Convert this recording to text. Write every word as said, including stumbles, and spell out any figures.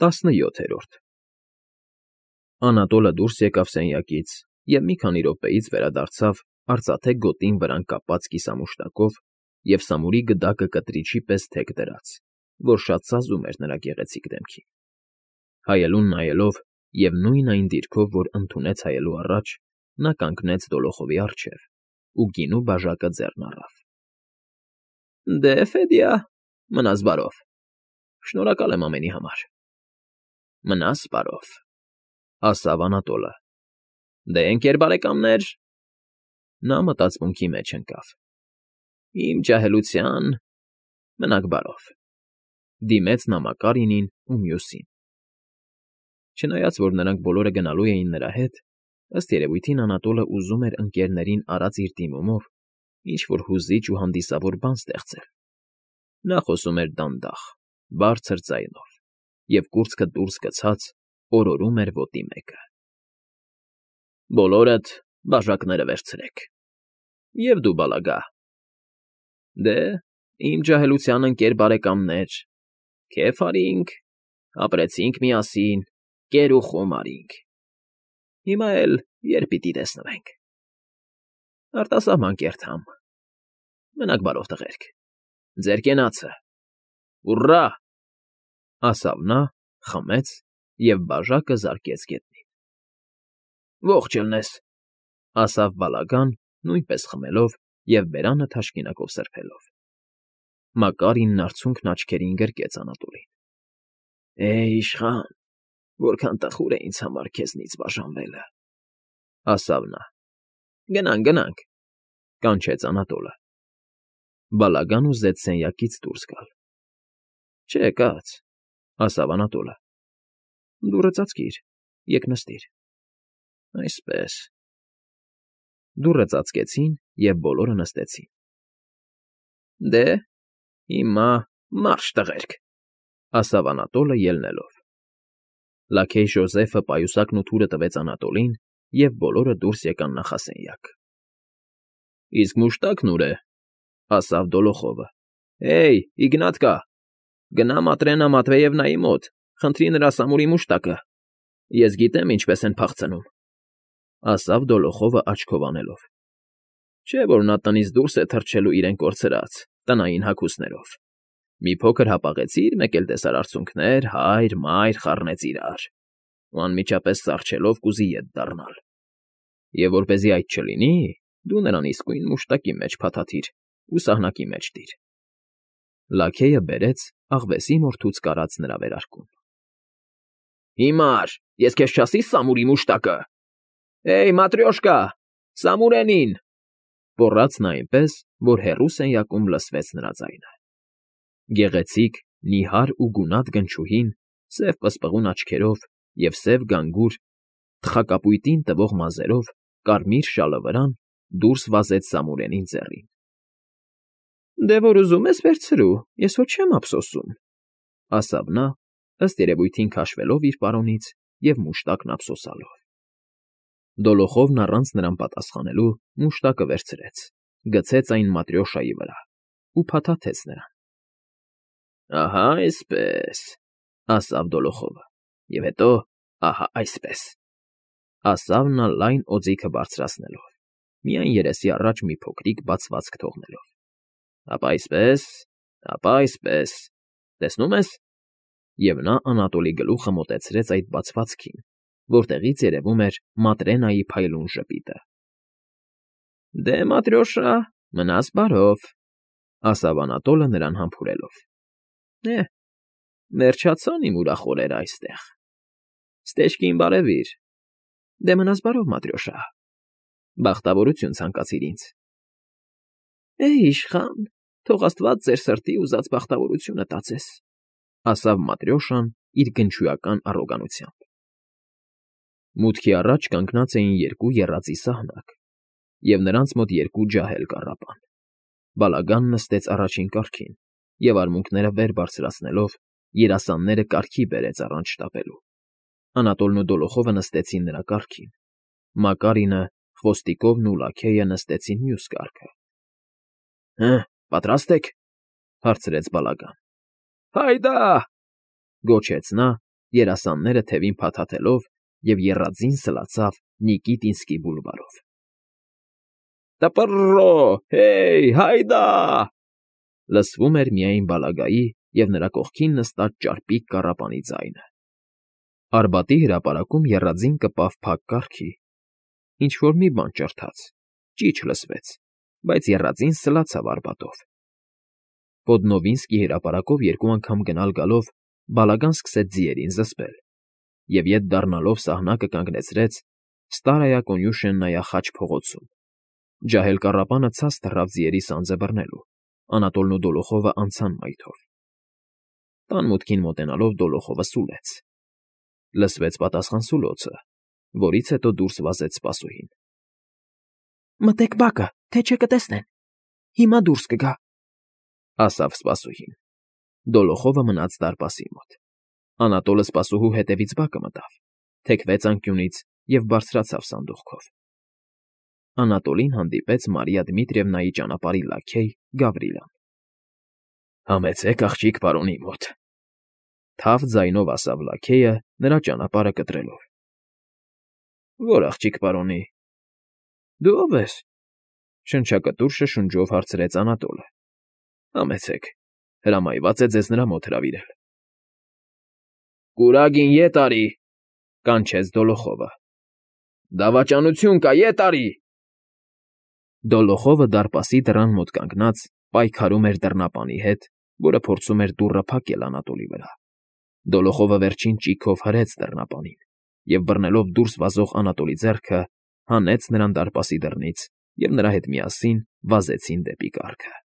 Տասնյոթերորդ Անատոլը դուրս եկավ սենյակից և մի քանի րոպեից վերադարձավ արծաթե գոտին վրան կապած կիսամուշտակով և սամուրի գդակը կտրիչի պես թեք դրած, որ շատ սազում էր նրա գեղեցիկ դեմքին. հայելուն նայելով և նույն այն դիրքով, որ ընդունեց հայելու առաջ, նա կանգնեց Դոլոխովի առջև ու գինու բաժակը ձեռն առավ։ ֊ Դե, Ֆեդյա, մնաս բարով, շնորհակալ եմ ամենի համար։ ֊ Մնաս բարով, ֊ ասաց Անատոլը։ ֊ Դե, ընկեր բարեկամներ… Նա մտածմունքի մեջ ընկավ։ Իմ ջահելության… Մնաք բարով, ֊ դիմեց նա Մակարինին ու մյուսին։ Չնայած որ նրանք բոլորը գնալու էին նրա հետ, ըստ երևույթին Անատոլը ուզում էր ընկներներին արած իր դիմումով ինչ֊որ հուզիչ ու հանդիսավոր բան ստեղծել։ Նա խոսում էր դանդաղ, բարձր ձայնով և, կուրծքը դուրս գցած, օրորում էր ոտի մեկը. Բոլորդ բաժակները վերցրեք, և դու, Բալագա… Դե, իմ ջահելության ընկեր բարեկամներ, քեֆ արինք, ապրեցինք միասին, կեր ու խոմ արինք… Հիմա էլ երբ պիտի տեսնվենք… Արտասահման կերթամ… Մնաք բարով, տղերք… Ձեր կենացը… Ուռա… ասավ նա, խմեց և բաժակը զարկեց գետնին։ Ողջ ելնես… ասավ Բալագան, նույնպես խմելով և բերանը թաշկինակով սրբելով։ Մակարինն արցունքն աչքերին գրկեց Անատոլին։ ֊ Է՜, իշխան, որքան տխուր է ինձ համար քեզնից բաժանվելը, ֊ ասավ նա։ ֊ Գնանք, գնանք, ֊ կանչեց Անատոլը։ Բալագան ուզեց սենյակից դուրս գալ։ ֊ Չէ, կաց, ֊ ասավ Անատոլը։ ֊ Դուռը ծածկիր, եկ նստիր… Այսպես… Դուռը ծածկեցին, և բոլորը նստեցին։ ֊ Դե, հիմա մարշ, տղերք, ֊ ասավ Անատոլը ելնելով։ Լաքեյ Ժոզեֆը պայուսակն ու թուրը տվեց Անատոլին, և բոլորը դուրս եկան նախասենյակ։ ֊ Իսկ մուշտակն ուր է, ֊ ասավ Դոլոխովը։ ֊ Հեյ, Իգնատկա, գնա Մատրենա Մատվեևնայի մոտ, խնդրի նրա սամուրի մուշտակը… Ես գիտեմ ինչպես են փախցնում, ֊ ասավ Դոլոխովը աչքով անելով։ Չէ՞ որ նա տնից դուրս է թռչելու իրեն կորցրած, տնային հագուստներով… Մի փոքր հապաղեցիր, մեկ էլ տեսար արցունքներ, հայր, մայր խառնեց իրար, ու անմիջապես սառչելով կուզի ետ դառնալ… Եվ որպեսզի այդ չլինի, դու նրան իսկույն մուշտակի մեջ փաթաթիր ու սահնակի մեջ դիր… Լաքեյը բերեց աղվեսի մորթուց կարած նրա վերարկուն։ ֊ Հիմար, ես քեզ չասի՞ սամուրի մուշտակը… Հեյ, Մատրյոշկա, Սամուրենին… Գոռաց նա այնպես, որ հեռու սենյակում լսվեց նրա ձայնը։ Գեղեցիկ, նիհար ու գունատ գնչուհին, սև պսպղուն աչքերով և սև գանգուր, թխակապույտին տվող մազերով, կարմիր շալը վրան դուրս վազեց Սամուրենին ձեռին։ ֊ Դե որ ուզում ես վերցրու, ես հո չեմ ափսոսում, ֊ ասավ նա, ըստ երևույթին քաշվելով իր պարոնից և մուշտակն ափսոսալով։ Դոլոխովն առանց նրան պատասխանելու մուշտակը վերցրեց, գցեց այն Մատրյոշայի վրա ու փաթաթեց նրան։ ֊ Ահա այսպես, ֊ ասավ Դոլոխովը, ֊ և հետո ահա այսպես, ֊ ասավ նա լայն օձիքը բարձրացնելով, միայն երեսի առաջ մի փոքրիկ բացվածք թողնելով։ ֊ Ապա այսպես, ապա այսպես… Տեսնում ես… Եվ նա Անատոլի գլուխը մոտեցրեց այդ բացվածքին, որտեղից երևում էր Մատրենայի փայլուն ժպիտը։ ֊ Դե, Մատրյոշա, մնաս բարով, ֊ ասավ Անատոլը նրան համբուրելով։ ֊ Էհ, վերջացան իմ ուրախ օրերը այստեղ… Ստեչկին բարևիր… Դե, մնաս բարով, Մատրյոշա… Բախտավորություն ցանկացիր ինձ… ֊ Է՜, իշխան, թող աստված ձեր սրտի ուզած բախտավորությունը տածես, ֊ ասավ Մատրյոշան իր գնչուական առոգանությամբ։ Մուտքի առաջ կանգնած էին երկու եռածի սահնակ, և նրանց մոտ երկու ջահել կառապան։ Բալագանն նստեց առաջին կառքին և, արմունկները վեր բարձրացնելով, երասանները կառքի բերեց առանց շտապելու։ Անատոլն ու Դոլոխովը նստեցին նրա կառքին, Մակարինը, Խոստիկովն ու Լաքեյը նստեցին մյուս կառքը։ ֊ Հը, պատրաստ եք, ֊ հարցրեց Բալագան։ ֊ Հայդա՜… գոչեց նա երասանները թևին փաթաթելով և եռաձին սլացավ Նիկիտինսկի բուլվարով։ «Տպռռո, հեյ, հայդա!» լսվում էր միայն բալագայի և նրա կողքին նստած ճարպիկ կառապանի ձայնը։ Արբատի հրապարակում եռաձին կպավ փակ կառքի, ինչ֊որ մի բան ճռթաց, ճիչ լսվեց, բայց եռաձին սլացավ Արբատով։ Պոդնովինսկի հրապարակով երկու անգամ գնալ֊գալով բալագան սկսեց ձիերին զսպել և, ետ դառնալով սահնակը կանգնեցրեց Ստարայա Կոնյուշեննայա խաչ փողոցում։ Ջահել կառապանը ցած թռավ ձիերի սանձը բռնելու, Անատոլն ու Դոլոխովը անցան մայթով։ Տան մուտքին մոտենալով Դոլոխովը սուլեց։ Լսվեց պատասխան սուլոցը, որից հետո դուրս վազեց սպասուհին։ ֊ Մտեք բակը, թե չէ կտեսնեն, հիմա դուրս կգա, ֊ ասավ սպասուհին։ Դոլոխովը մնաց դարպասի մոտ։ Անատոլը սպասուհու հետևից բակը մտավ, թեքվեց անկյունից և բարձրացավ սանդուղքով։ Անատոլին հանդիպեց Մարիա Դմիտրիևնայի ճանապարհի լաքեյ Գավրիլան։ ֊ Համեցեք աղջիկ պարոնի մոտ, ֊ թավ ձայնով ասավ լաքեյը, նրա ճանապարհը կտրելով։ ֊ Ո՞ր աղջիկ պարոնի։ ֊ Դու ո՞վ ես,֊ շնչակտուր շշունջով հարցրեց Անատոլը։ ֊ Համեցեք, հրամայված է ձեզ նրա մոտ հրավիրել։ ֊ Կուրագին ետ արի,֊ կանչեց Դոլոխովը։ ֊ Դավաճանություն կա, ետ արի… Դոլոխովը դարպասի դռան մոտ կանգնած պայքարում էր դռնապանի հետ, որը փորձում էր դուռը փակել Անատոլի վրա։ Դոլոխովը վերջին ճիգով հրեց դռնապանին և, բռնելով դուրս վազող Անատոլի ձեռքը, հանեց նրան դարպասի դռնից, և նրա հետ միասին վազեցին դեպի կառքը։